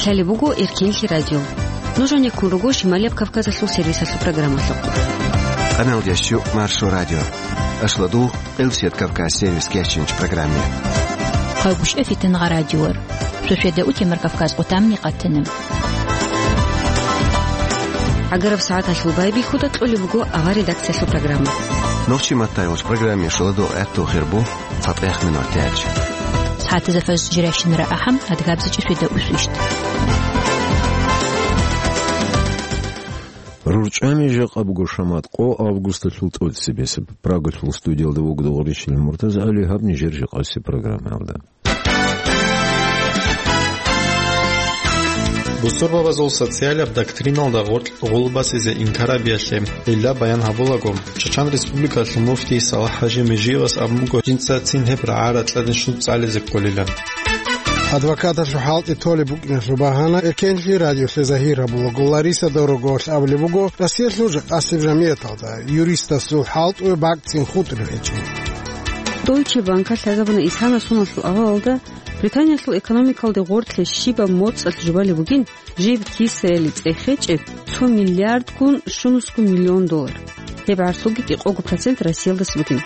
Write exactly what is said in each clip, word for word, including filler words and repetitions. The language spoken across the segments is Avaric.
Лъалеб буго Эркенлъи радио. Нуж гьанеккун руго Шималияб Кавказалъул сервисалъул программалъухъ. Къаналдеш щу Маршо радио. Ашладул Къилсият Кавказ сервис кечинч программе. Хъавгушев Фитангъа радиор. Шошеда утемар Кавказ къутамни къатана. ГӀагараб сагӀаталъул байбихьуда кьолеб буго авар редакциялъул программа. Нохчи маттайолч программе шуладо гӀатту хирбу. Фатех минутач. Сагьатазда фаз жиращинара ахӀам, адгабзачӀи шуйда усвищт. РурчӀами жакъа буго шамат къо августалъул тӀоцебесеб. Прагалъул студиялда вуго Догъричил МуртазагӀали, гьаб нижер жакъаси программаялда. Бусурбабазул социалаб доктриналда гъоркь гъулбасизе инкарабиялъе, гьелда баян гьабулаго, Чачан Республикалъул муфтий Салахь-хӀажи Межиевас абун буго, жинца цин гьеб рагӀа-ракьалде щун цӀализе кколилан. Адвокаталъул хӀалтӀи толеб букӀиналъул багьана Эркенлъи радиолъе загьир гьабулаго, Лариса Дорогоялъ абулеб буго, Россиялъул жакъасеб жамияталда юристасул хӀалтӀуе бакӀцин хутӀулеб гьечӀин. Deutsche Bank-алъ лъазабуна исана соналъул авалалда Британиялъул экономикалде гъоркье щибаб моцӀалъ жубалеб бугин, жиб кисаялде цӀехечӀеб цо миллиардгун щунусго миллион доллар. Гьеб гӀарцуги кӀикъого процент Россиялдаса бугин.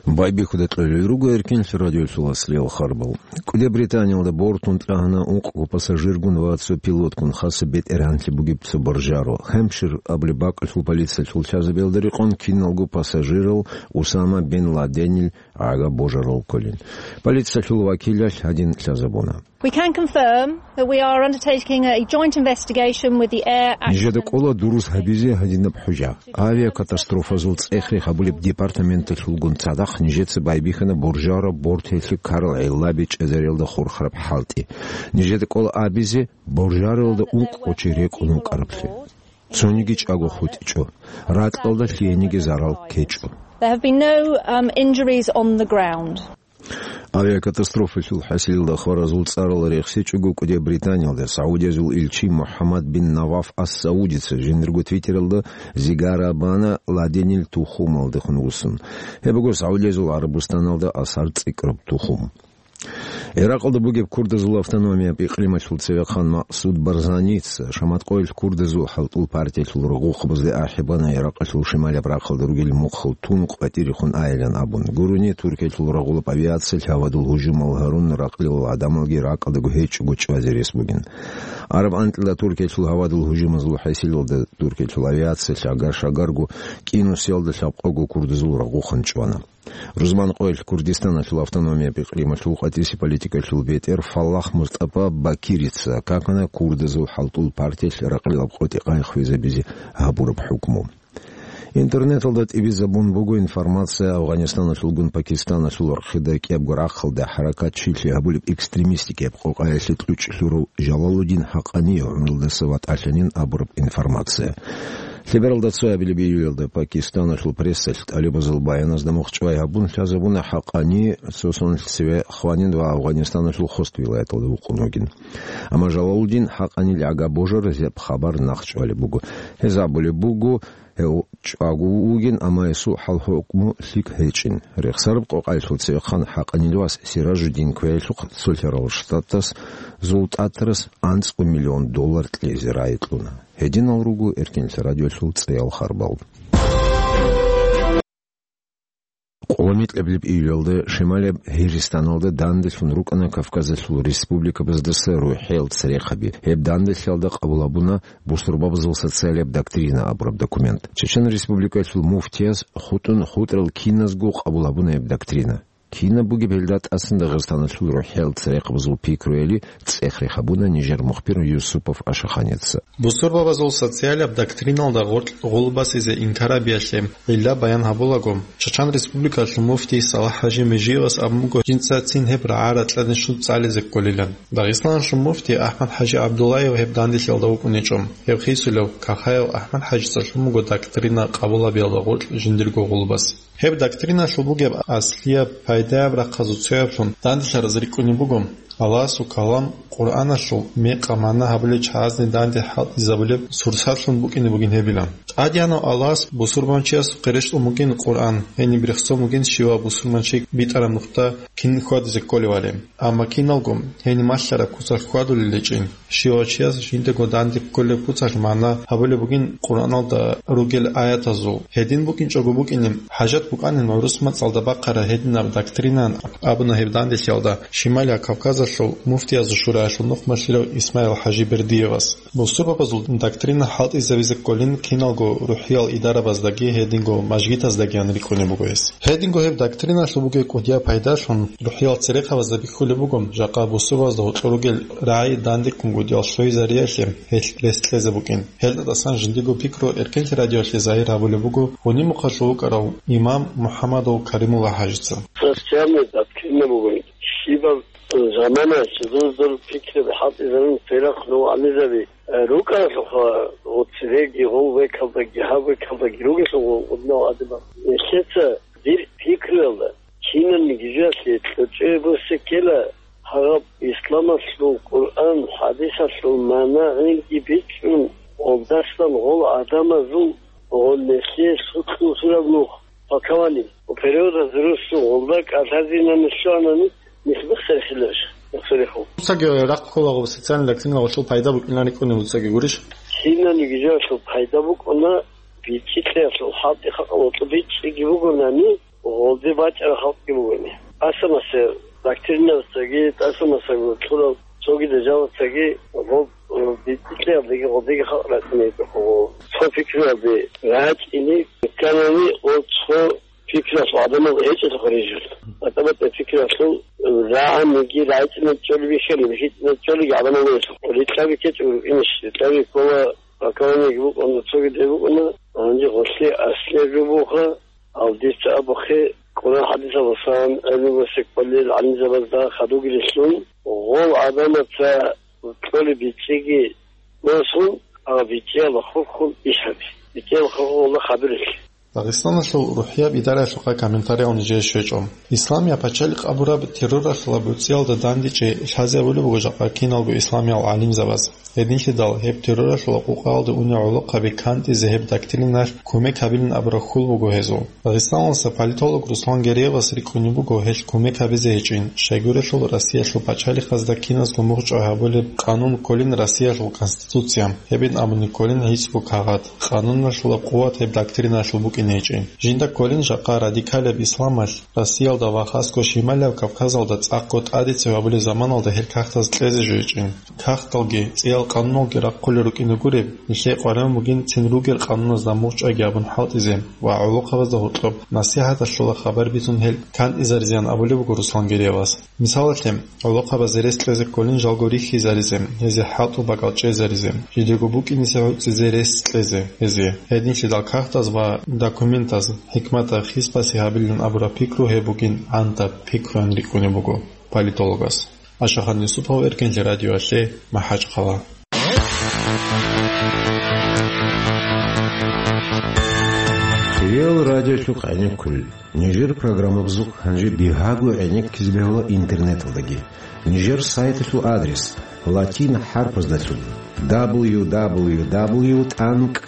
Байбихьуда кьолел руго Эркенлъи радиолъул аслиял харбал. КӀуди Британиялда бортун тӀагьана ункъго пассажиргун ва цо пилотгун хасаб бетӀергьанлъи бугеб цо боржаро. Хэмпшир абулеб бакӀалъул полициялъул лъазабиялда рекъон киналго пассажирал Усама бин Ладенил гӀага божарал кколин. Полициялъул вакилалъ гьадин лъазабуна. We can confirm that we are undertaking a joint investigation with the Air Accident Нижеда кӀола дурус гьабизе гьадинаб хӀужа. Авиакатастрофазул цӀехре гьабулеб департаменталъулгун цадахъ нижеца байбихьана боржараб бортелъи ккарал гӀеллаби чӀезариялда хурхараб хӀалтӀи. Нижеда кӀола абизе боржаралда ункъго чи рекӀун вукӀараблъи. Цониги чӀаго хутӀичӀо. Ракьалда лъиениги зарал ккечӀо. There have been no, um, injuries on the ground. Авиакатастрофалъул хӀасилалда хваразул цӀарал рехсечӀого, КӀуди Британиялда Саудиязул илчи МухӀаммад бин Наваф ас-Саудица жиндирго твиттералда зигара бана Ладенил тухумалдехун вуссун. Гьеб буго Саудиязул ГӀарабустаналда асар цӀикӀкӀараб тухум. Иракъалда бугеб курдазул автономияб икълималъул цевехъан Максуд Барзаница шаматкъоялъ курдазул хӀалтӀул партиялъул рагъухъабазде ахӀи бана Иракъалъул шималаб рахъалда ругел мухъал тун къватӀирехун айилан абун. Гурони, Туркиялъул рагъулаб авиациялъ гьавадул гьужумал гьарун, ракьалил гӀадамалги ракӀалдаго гьечӀого чӀвазе рес бугин. Араб анкьила Туркиялъул гьавадул гьужумазул хӀасилалда Туркиялъул авиациялъ агар-шагарго кӀинусиялда лъабкъого курдазул рагъухъан чӀвана. Рузманкъоялъ Курдистаналъул автономияб икълималъул къватӀиси политикалъул бетӀер Фаллах Мустапа Бакирица какана курдазул хӀалтӀул партиялъ ракьалил къотӀи къайи хвезабизе гьабураб хӀукму. Интернеталда тӀибизабун буго информация Афганистаналъулгун Пакистаналъул вархида кӀиябго рахъалда хӀаракат чилъи гьабулеб экстремистикияб къокъаялъе кьучӀ лъурав Жалалудин ХӀакъани гӀумрулдаса ватӀалъанин абураб информация. Лъебералда цоябилеб июлялда Пакистаналъул прессалъ тӀалибазул баяназда мухъ чӀвай гьабун лъазабуна ХӀакъани цо соналъ цеве хванин ва Афганистаналъул Хост вилаяталда вукъун вугин. Амма Жалалудин ХӀакъанил гӀага божаразе хабар нахъчӀвалеб буго. Гьез абулеб буго, гьев чӀваго вугин, амма гьесул хӀал-хӀукму лъикӀ гьечӀин. Рехсараб къокъаялъул цевехъан ХӀакъанил вас Сиражуддин квеялъухъ Цолъарал Штатас зултӀатарас анцӀго миллион доллар кьезе рагӀи кьуна. Гьединал руго Эркенлъи радиолъул цӀеял харбал. Къоло микьабилеб июлалда шималаб Гьиристаналда данделъун рукӀана Кавказалъул республикабаздаса рухӀел церехъаби. Гьеб данделъиялда къабул гьабуна бусурбабазул социалияб доктрина абураб документ. Чечен Республикалъул муфтияс хутӀун хутӀрал киназго къабул гьабуна гьеб доктрина. Кинаб бугеб гьелда тӀасан Дагъистаналъул рухӀел церехъабазул пикруяли цӀех рехабуна нижер мухбир Юсупов Ашаханица. Бусурбабазул социалаб доктриналда гъоркь гъулбасизе инкарабиялъе гьелда баян гьабулаго, Чачан Республикалъул муфтий Салахь-хӀажи Межиевас абун буго, жинца цин гьеб рагӀа-ракьалде щун цӀализе кколилан. Дагъистаналъул муфтий АхӀмад-хӀажи ГӀабдуллаев гьеб данделъиялда вукӀунечӀо. Гьев хисулев Кахаев АхӀмад-хӀажица лъун буго доктрина къабул гьабиялда гъоркь жиндирго гъулбас. Гьеб доктриналъул бугеб аслияб пайдаяб рахъазул цояблъун данделъараз рикӀкӀунеб буго, Аллагьасул калам, Къуръаналъул мекъа-магӀна гьабулел чагӀазни данде хӀалтӀизабулеб сурсарлъун букӀине бугин гьебила. ТӀадегӀанав Аллагьас бусурбанчиясухъе рещтӀун бугин Къуръан, гьениб рехсон бугин щивав бусурбанчи битӀараб нухда кин хьвадизе кколевали. Амма киналго гьениб малъараб куцалъ хьвадулел гьечӀин, щивав чияс жиндаго данде кколеб куцалъ магӀна гьабулеб бугин Къуръаналда ругел аятазул. Гьедин букӀинчӀого букӀине, хӀажат букӀанин гӀурус мацӀалда бахъараб гьединаб доктрина абуна гьеб данделъиялда Шималияб Кавказалъул муфтиязул шураялъул нухмалъилав Исмаил-хӀажи Бердиевас. Бусурбабазул доктрина хӀалтӀизабизе кколин киналго рухӀиял идарабаздаги гьединго мажгитаздагиян рикӀкӀунеб буго гьес. Гьединго гьеб доктриналъул бугеб кӀудияб пайдалъун рухӀиял церехъабазда бихьулеб буго, жакъа бусурбабазда гьоркьор ругел рагӀи дандеккун гьудиял лъугӀизариялъе гьелъ рес кьезе букӀин. Гьелдасан жиндиго пикру Эркенлъи радиоялъе загьир гьабулеб буго гьуниб мухъалъув вукӀарав имам МухӀаммадов Каримулла-хӀажица. Христианни доктрина бугин, щибаб замана жидер пикру хӀалтӀизабун церехъ нугӀанизаби рукӀаралъухъа, гъоцереги, гъов векалдаги, гьав векалдаги ругелъул гъуднав гӀадамал. Нилъеца дир пикруялда, кинабниги жоялъе кьучӀеб буссеккела, гьаб исламалъул Къуръан, хӀадисалъул магӀна гӀинги бичӀчӀун, гъолдасан гъол гӀадамазул гъол нилъее лъукьулзураб нух, толкование, переводаз русу гъолда кӀалъазинани лъугьанани, нилъ бихсарихьиларищ, бихсарихьул. Дуцаги рахъ кколаго социальный доктрина гъолъул пайда букӀинани кӀуни дуцаги гурищ? Кинабниги жоялъул пайда букӀуна, бичӀчӀи кьеялъул хӀалтӀи халкъалъулъ бичӀчӀиги бугонани, гъолде бачӀарал халкъги бугони. ТӀаса-маса доктриналъцаги, тӀаса-масаго кьурал цоги державацаги гъоб, э, бичӀчӀи кьеялдеги гъолдеги халкъ рачӀине гьечӀо гъо. Цо пикруялде рачӀине кканани, гъо цо пикруялъул гӀадамал гьечӀелъухъ рижул. БатӀа-батӀа пикруялъул рагӀаниги рагӀичӀинаб чӀолеб бихьани, бихьичӀинаб чӀолеги гӀадамал гьечӀелъухъ. Рикьаби ккечӀо рукӀинищ, рикьаби ккола, толкование букӀуна, цоги де букӀуна, гьанже гъолъие аслияб жо буха, гьал дица абухъе, Къуран-хӀадисалдасан гӀелму босекбалил гӀалимзабазда хадуги рилълъун, гъол гӀадамаца кьолеб бичӀчӀиги босун, ага бичӀчӀиялда хурхун иш гьаби. БичӀчӀиялда хурхун гъолда хадурелъи. Дагъистаналъул рухӀияб идараялъухъа комментариял нижее щвечӀо. Исламияб пачалихъ абураб терроралъула буцӀиялда дандечӀей лъазе абулеб буго жакъа киналго исламиял гӀалимзабаз. Гьединлъидал гьеб терроралъула къукъаялда унел гӀолохъаби кантӀизе гьеб доктриналъ кумек гьабилин абураб хьул буго гьезул. Дагъистаналдаса политолог Руслан Гереевас рикӀкӀунеб буго гьелъ кумек гьабизе гьечӀин, щайгурелъул Россиялъул пачалихъазда киназго мугъчӀвай гьабулеб къанун кколин Россиялъул Конституция, гьебин абуни кколин гӀицӀго кагъат. Къануналъулаб къуват гьеб доктриналъул букӀине гьечӀин. Жинда кколин жакъа радикалияб исламалъ Россиялда ва хасго Шималияб Кавказалда цӀакъго тӀадецӀи гьабулеб заманалда гьел кагътаз кьезе жо гьечӀин. Кагъталги, цӀиял къануналги рахъулел рукӀине гуреб, нилъее къваригӀун бугин цин ругел къануназда мугъчӀвайги абун хӀалтӀизе ва гӀолохъабазда гьоркьоб насихӀаталъула хабар бицун гьел кантӀизаризеян абулеб буго Руслан Гереевас. Мисалалъе, гӀолохъабазе рес кьезе кколин жалго рихьизаризе, гьезие хӀалтӀу бакӀал чӀезаризе, жидего букӀинисе гӀуцӀизе рес кьезе гьезие. Гьединлъидал кагътаз ва документаз хӀикматаб хис баси гьабилин абураб пикру гьеб бугин гӀантаб пикруян рикӀкӀунеб буго политологас. Ашахан Юсупов, Эркенлъи радиоялъе, МахӀачхъала. Реал радиолъухъ гӀенеккулел. Нижер программабазухъ гьанже бигьаго гӀенеккизе бегьула интернеталдаги. Нижер сайталъул адрес латин хӀарпаздалъун: дабл ю дабл ю дабл ю тӀанкӀ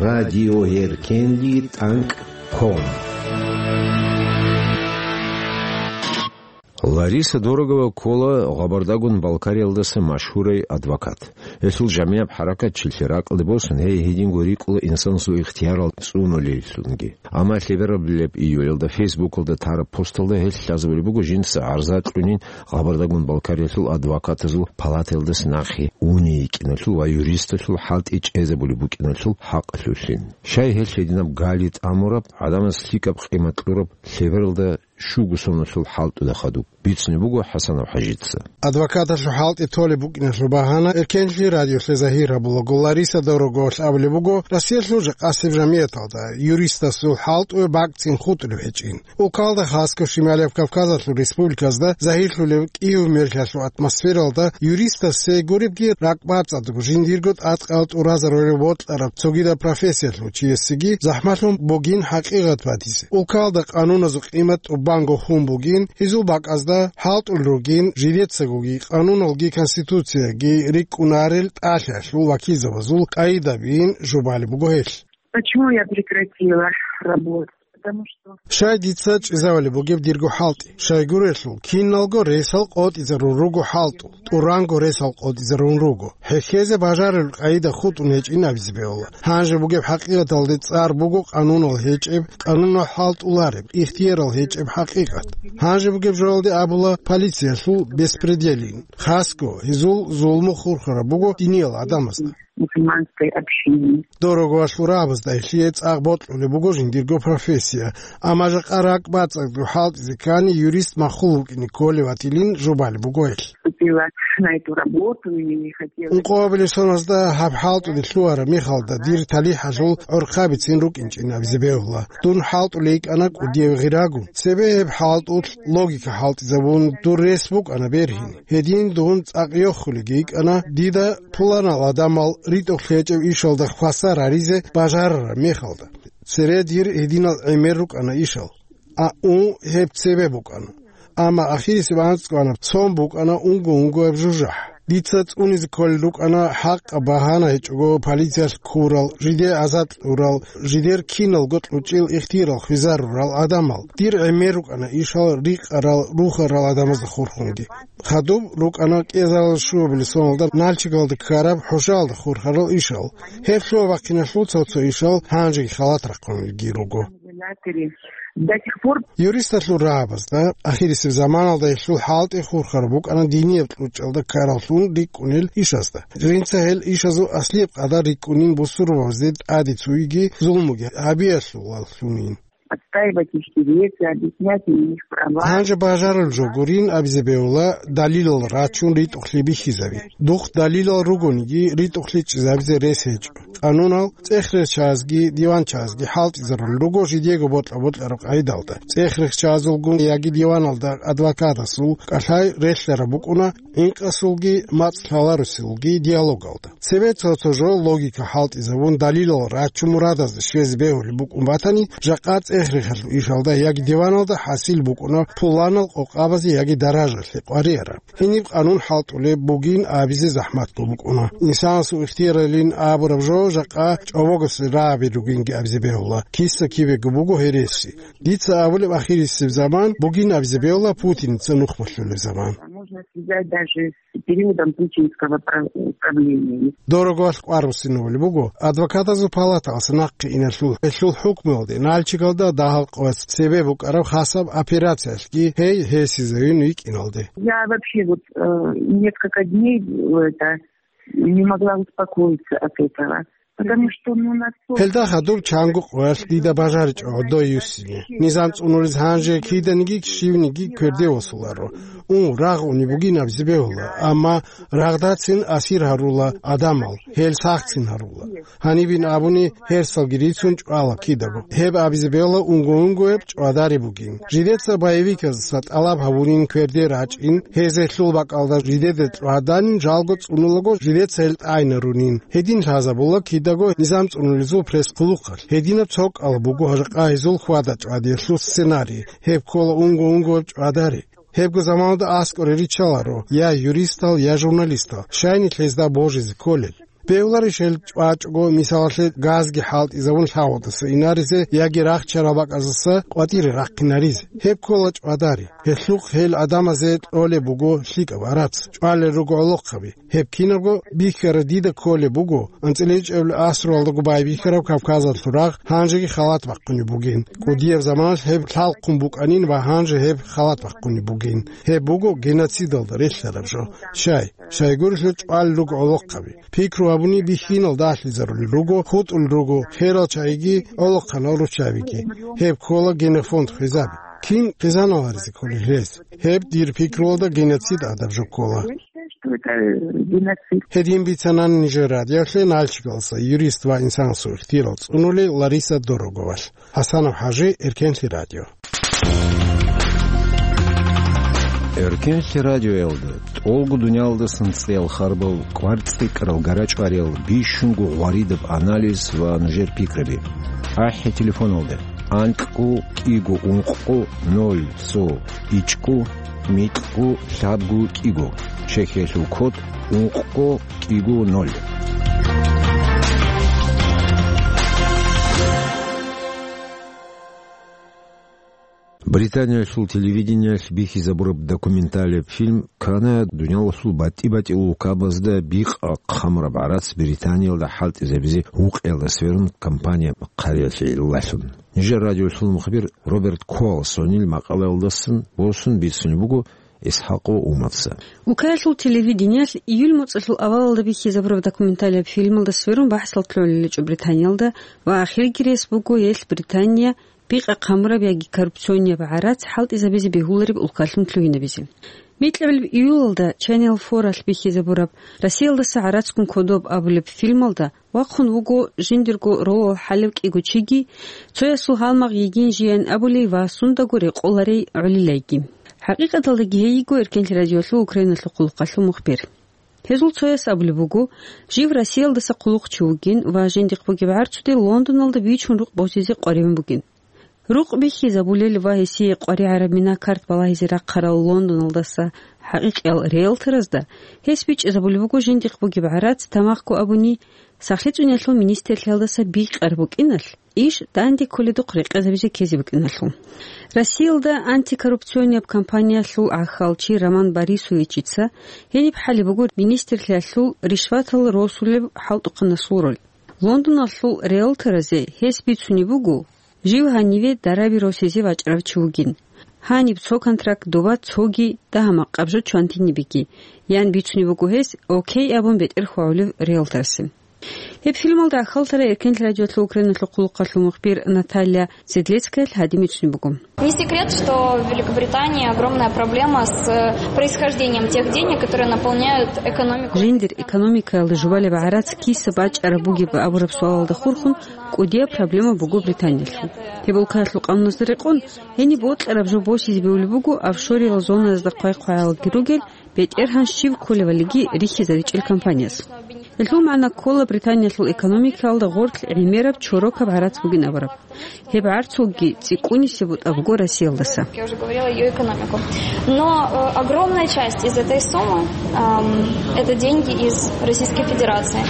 радиоэркенлъи тӀанкӀ ком. Лариса Дорогова ккола Гъабардагун-Балкариялдаса машгьурай адвокат. Гьелъул жамияб хӀаракат чилъи ракӀалде босун, гьей гьединго рикӀкӀула инсанасул ихтиярал цӀунулеллъунги. Амма лъеберабилеб июлялда Фейсбукалда тараб посталда гьелъ лъазабулеб буго жинца гӀарза кьунин Гъабардагун-Балкариялъул адвокатазул палатаялдаса нахъе уней йикӀиналъул ва юристалъул хӀалтӀи чӀезабулеб букӀиналъул хӀакъалъулъин. Щай гьелъ гьединаб гали тӀамураб, гӀадамаз лъикӀаб къимат кьураб лъебералда щуго соналъул хӀалтӀуда хадуб, бицунеб буго ХӀасанов ХӀажица. Адвокаталъул хӀалтӀи толеб букӀиналъул багьана Эркенлъи радиолъе загьир гьабулаго, Лариса Дороговалъ абулеб буго, Россиялъул жакъасеб жамияталда юристасул хӀалтӀуе бакӀцӀин хутӀулеб гьечӀин. Улкалда хасго Шималияб Кавказалъул республиказда загьирлъулеб кӀиго мерлъиялъул атмосфералда юристасе гуребги ракӀбацӀцӀадго жиндирго тӀадкъал тӀуразарулев бокьараб цогидаб профессиялъул чиясеги захӀмалъун бугин хӀакъикъат батизе. Улкалда къануназул къимат тӀуб бангохун бугин, гьезул бакӀазда хӀалтӀулел ругин, жидецагоги, къануналги, конституцияги рикӀкӀунарел тӀалъиялъул вакилзабазул къайдабиин жубали буго гьелъ. Почему я прекратила работу? Потому что Щай дица чӀезавали бугеб дирго хӀалтӀи? Щайгурелъул, киналго ресал къотӀизарун руго хӀалтӀул, тӀуранго ресал къотӀизарун руго. ХӀехьезе бажарулел къайда хутӀун гьечӀин абизе бегьула. Гьанже бугеб хӀакъикъаталде цӀар буго къанунал гьечӀеб, къанунал хӀалтӀулареб, ихтиярал гьечӀеб хӀакъикъат. Гьанже бугеб жоялде абула полициялъул беспределин. Хасго, гьезул зулму хурхараб буго диниял гӀадамазда. Мусульманской общине. Дорого валъурабазда гьелъие цӀакъ бокьулеб буго жиндирго профессия, амма жакъа ракӀ бацӀцӀадго хӀалтӀизе ккани юрист махул вукӀине кколев ватилин жубали буго гьелъ. Вступила на эту работу и хотела Ункъоабилеб соназда гьаб хӀалтӀуде лъугьараб мехалда дир талихӀалъул гӀорхъабицин рукӀинчӀин абизе бегьула. Дун хӀалтӀулей йикӀана кӀудияв гъирагун. Цебе гьеб хӀалтӀулъ логика хӀалтӀизабун, дур рес букӀана бергьин. Гьедин дун цӀакъ йохулеги йикӀана, дида пуланал гӀадамал ритӀухълъи гьечӀеб ишалда хвасар гьаризе бажарараб мехалда. Цере дир гьединал гӀемер рукӀана ишал. А, у, гьеб цебе букӀана. Амма ахирисеб анцӀго анаб цон букӀана унго-унгояб жужахӀ. Дица цӀунизе кколел рукӀана хӀакъаб багьана гьечӀого полициялъ ккурал, жиде азад кьурал, жидер киналго кьучӀил ихтиярал хвезарурал гӀадамал. Дир гӀемер рукӀана ишал рикъарал, рухарал гӀадамазда хурхунги. Хадуб рукӀана кӀезарал щуабилеб соналда Нальчигалда ккараб хӀужаялда хурхарал ишал. Гьеб лъугьа-бахъиналъул цо-цо ишал гьанжеги халат рахъунелги руго. До сих пор Юристалъул рагӀабазда ахирисеб заманалда гьелъул хӀалтӀи хурхараб букӀана динияб кьучӀалда ккараллъун рикӀкӀунел ишазда. Жинца гьел ишазул аслияб къадар рикӀкӀунин бусурбабазде тӀаде цуиги зулмуги гьабиялъулаллъунин. Отстаивать их интересы, объяснять им их права. Гьанже бажарулел жо гурин абизе бегьула далилал рачун ритӀухълъи бихьизаби. Духъ далилал ругониги ритӀухълъи чӀезабизе рес гьечӀо. Къанунал цӀехречазги диванчазги хӀалтӀизарулел руго жидего бокьа-бокьараб къайдалда. ЦӀехрехчазулгун яги диваналда адвокатасул кӀалъай релълъараб букӀуна инкъасулги мацӀ лъаларусулги диалогалда. Цебе цо-цо жо логика хӀалтӀизабун, далилал рачун мурадазда щвезе бегьулеб букӀун батани, жакъа цӀехрехалъул ишалда яги диваналда хӀасил букӀуна пуланал къокъабазе яги даражалъе къварияраб. Гьениб къанун хӀалтӀулеб бугин абизе захӀматго букӀуна. Инсанасул ихтияралин абураб жо жакъа чӀобогосе рагӀаби ругинги абизе бегьула, киса-кибего буго гьереси. Дица абулеб ахирисеб заман бугин абизе бегьула Путиница нух малъулеб заман. Можно связать даже с периодом путинского пра-, правления. Дорого валъ кӀвар буссинабулеб буго, адвокатазул палаталъ нахъе иналъул гьелъул хӀукмуялде Нальчигалда дагьал къоялъ цебе букӀараб хасаб операциялъги гьей гьесизавин викӀиналде. Я вообще вот, э, несколько дней, э, это, не могла успокоиться от этого. Потому что, ну, настолько Гьелда хадуб чанго къоялъ дида бажаричӀо гӀодой юссине. Низам цӀунулез гьанже киданиги щивниги кверде восуларо. У, рагъ уни бугин абизе бегьула, амма рагъдацин асир гьарула адамал, гьел сахцин гьарула. Гьанибин абуни, гьерсалги рицун чӀвала кидаго. Гьеб абизе бегьула унго-унгояб чӀвадари бугин. Жидеца боевиказаса тӀалаб гьабунин кверде рачӀин, гьез гьелъул бакӀалда жидеде чӀваданин, жалго цӀунулаго жидеца гьел тӀайнарунин. Гьедин лъазабула кидаго низам цӀунулезул пресс-хъулухъалъ. Гьединаб цо кӀал буго жакъа гьезул хьвада-чӀвадиялъул сценарий. Гьеб ккола унго-унгояб чӀвадари. Гьебго заманалда аскӀоре риччаларо я юристал, я журналистал, щай нилъ гьезда божизе кколел. Бегьуларищ гьел чӀвачӀого, мисалалъе, газги хӀалтӀизабун лъагӀалдаса инаризе яги рахчарал бакӀаздаса къватӀире рахъинаризе? Гьеб ккола чӀвадари. Гьелъухъ гьел гӀадамазе кьолеб буго лъикӀаб арац, чӀвалел руго гӀолохъаби. Гьеб кинабго бихьараб дида кколеб буго, анцӀила ичӀабилеб асралдаго байбихьараб Кавказалъул рагъ гьанжеги халат бахъунеб бугин. КӀудияб заманалъ гьеб лъалхъун букӀанин ва гьанже гьеб халат бахъунеб бугин. Гьеб буго геноцидалда релълъараб жо. Щай? Щайгурелъул чӀвалел руго гӀолохъаби. Пикру гьабуни бихьинал дагьлъизарулел руго, хутӀулел руго херал чагӀиги, гӀолохъанал руччабиги. Гьеб ккола генофонд хвезаби. Кин хъизаналаризе кколел гьез? Гьеб дир пикруялда геноцид гӀадаб жо ккола. Я считаю, что это, э, геноцид. Гьедин бицанани нижер радиолъе Нальчигалса юрист ва инсанасул ихтияр цӀунулел Лариса Дороговалъ. Гьасанов ХӀажи, Эркенлъи радио. Эркенлъи радиоялда тӀолго дуниялдасан цӀеял харбал, кӀвар цӀикӀкӀарал гарачӀвариял, бищунго гъваридаб анализ ва нужер пикраби. АхӀи телефоналда. анкьго кӀиго ункъго ноль цо ичӀго микьго лъабго кӀиго, Чехиялъул код ункъго кӀиго ноль. Британиялъул телевидениялъ бихьизабураб документалияб фильм ккана дуниялалъул батӀи-батӀиял улкабазда бикъа хъамураб гӀарац Британиялда хӀалтӀизабизе гьукъиялда сверун кампания хъариялъе лъалъун. Нижер радиолъул мухбир Роберт Колсонил макъалаялдасан босун бицунеб буго ИсхӀакъ ва Умаца. Улкаялъул телевидениялъ июль моцӀалъул авалалда бихьизабураб документалияб фильмалда сверун бахӀсал лъолеличӀо Британиялда ва ахирги рес буго гьелъ Британия бикъа хъамураб яги коррупционияб гӀарац хӀалтӀизабизе бегьулареб улкалъун лъугьинабизе. Микьабилеб июлалда Channel Four-алъ бихьизабураб Россиялдаса гӀарацгун кодоб абулеб фильмалда вахъун вуго жиндирго ролал хӀалев кӀиго чиги, цоясул гьалмагъ йигин жиян абулей ва сундаго рекъоларей гӀолилайги. ХӀакъикъаталдаги гьей йиго Эркенлъи радиолъул Украиналъул хъулухъалъул мухбир. Гьезул цояс абулеб буго, жив Россиялдаса хъулухъчи вугин ва жиндихъ бугеб гӀарцуде Лондоналда бичун рукъ босизе къваригӀун бугин. Рукъ бихьизабулел ва гьесие къваригӀараб мина-карт балагьизе рахъарал Лондоналдаса хӀакъикъиял риэлторазда гьес бичӀчӀизабулеб буго жиндихъ бугеб гӀарац, тамахъго абуни, сахлъи цӀуниялъул министрлъиялдаса бикъараб букӀиналъ, иш данде кколедухъ рекъезабизе ккезе букӀиналъул. Россиялда антикоррупционияб кампаниялъул гӀахьалчи Роман Борисовичица гьениб хӀалеб буго министрлъиялъул ришватал росулеб хӀалтӀухъанасул роль. Лондоналъул риэлторазе гьес бицунеб буго, жив гьаниве дараби росизе вачӀарав чи вугин. Гьаниб цо контракт, доба цоги, дагьа-макъаб жо чвантинибеги, ян бицунеб буго гьес, окей абун бетӀер хьвагӀулев риэлторасе. Гьеб фильмалда рахьалдаса Эркенлъи радиолъул Украиналъул хъулухъалъул мухбир Наталья Седлецкаялъ гьадин бицунеб буго. Не секрет, что в Великобритании огромная проблема с, э, происхождением тех денег, которые наполняют экономику. Жиндир экономикаялда жубалеб гӀарац киса бачӀараб бугеб абураб суалалда хурхун кӀудияб проблема буго Британиялъул. Гьеб улкаялъул къануналда рекъон, гьениб бокьараб жо босизе бегьулеб буго офшориял зонаязда хъвай-хъвагӀалги ругел, бетӀергьан щив кколевалиги рихьизаричӀел компанияс. Гьелъул магӀна ккола Британиялъул экономикаялда гъорлъ гӀемераб чорокаб гӀарац бугин абураб. Гьеб гӀарцулги цӀикӀкӀунисеб бутӀа буго Россиялдаса. Я уже говорила её экономику. Но, э, огромная часть из этой суммы, ам, это деньги из Российской Федерации.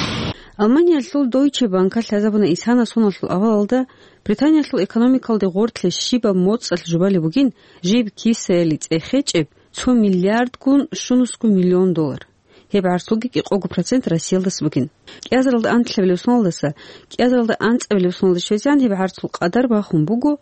Алманиялъул Deutsche Bank-алъ лъазабуна исана соналъул авалалда Британиялъул экономикалде гъорлъе щибаб моцӀалъ жубалеб бугин, жиб кисаялде цӀехечӀеб цо миллиардгун щунусго миллион доллар. Гьеб гӀарцулги кӀикъого процент Россиялдаса бугин. КӀиазаралда анлъабилеб соналдаса кӀиазаралда анцӀабилеб соналде щвезегӀан гьеб гӀарцул къадар бахун буго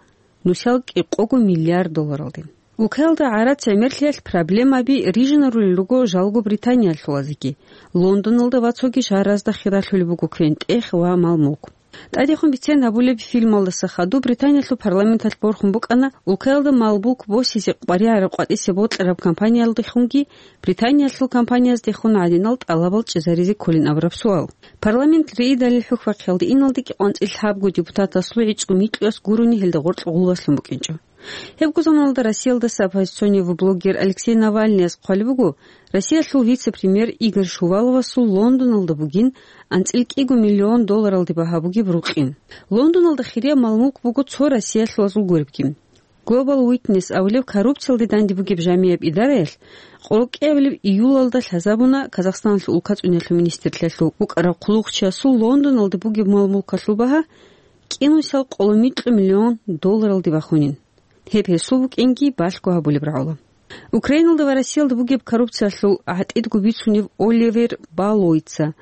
нусал кӀикъого миллиард долларалде. Улкаялда гӀарац гӀемерлъиялъ проблемаби рижинарулел руго жалго Британиялъулазеги, Лондоналда ва цоги шагьаразда хиралъулеб буго квен-тӀех ва мал-мулк. ТӀадехун бицен гьабулеб фильмалдаса хадуб Британиялъул парламенталъ борхун букӀана улкаялда мал-мулк босизе къваригӀараб къватӀисе бокьараб компаниялдехунги Британиялъул компанияздехун гӀадинал тӀалабал чӀезаризе кколин абураб суал. Парламент риидалил хӀухьбахъиялде иналде кӀикъоялда лъабго депутатасул гӀицӀго микьуяс гурони гьелда гъоркь гъулбаслъун букӀинчӀо. Гьебго заманалда Россиялдаса оппозиционный блогер Алексей Навальныяс хъвалеб буго, Россиялъул вице-премьер Игорь Шуваловасул Лондоналда бугин анцӀила кӀиго миллион долларалде багьа бугеб рукъин. Лондоналда хирияб мал-мулк буго цо россиялъулазул гуребги. Global Witness абулеб коррупциялде данде бугеб жамияб идараялъ къоркьиябилеб июлалда лъазабуна Казахстаналъул улкацӀуниялъул министрлъиялъул вукӀарав хъулухъчиясул Лондоналда бугеб мал-мулкалъул багьа кӀинусал къоло микьу миллион долларалде бахунин. Гьеб гьесул букӀинги балъго гьабулеб рагӀула. Украиналда ва Россиялда бугеб коррупциялъул гӀатӀидго бицунев Оливер Баллоица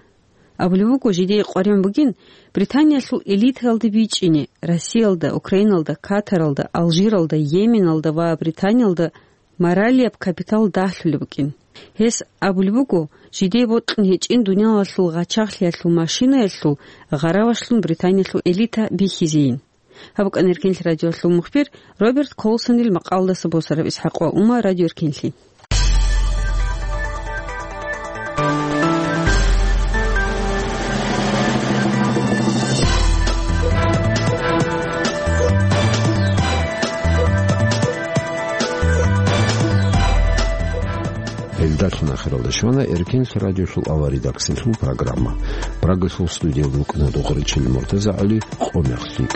абулеб буго, жидее къваригӀун бугин Британиялъул элитаялде бичӀчӀине, Россиялда, Украиналда, Катаралда, Алжиралда, Йеменалда ва Британиялда моралияб капитал дагьлъулеб букӀин. Гьес абулеб буго, жидее бокьун гьечӀин дуниялалъул гъачагълъиялъул машинаялъул гъаравашлъун Британиялъул элита бихьизейин. Гьаб букӀана Эркенлъи радиоялъул мухбир Роберт Колсонил макъалдаса босараб ИсхӀакъ ва Ума радиоэркенлъи. Гьелдалъун ахиралда щвана Эркенлъи радиолъул авария редакциялъул программа. Прагалъул студиялда вукӀана Духаричил МуртазагӀали, къо мехлъи.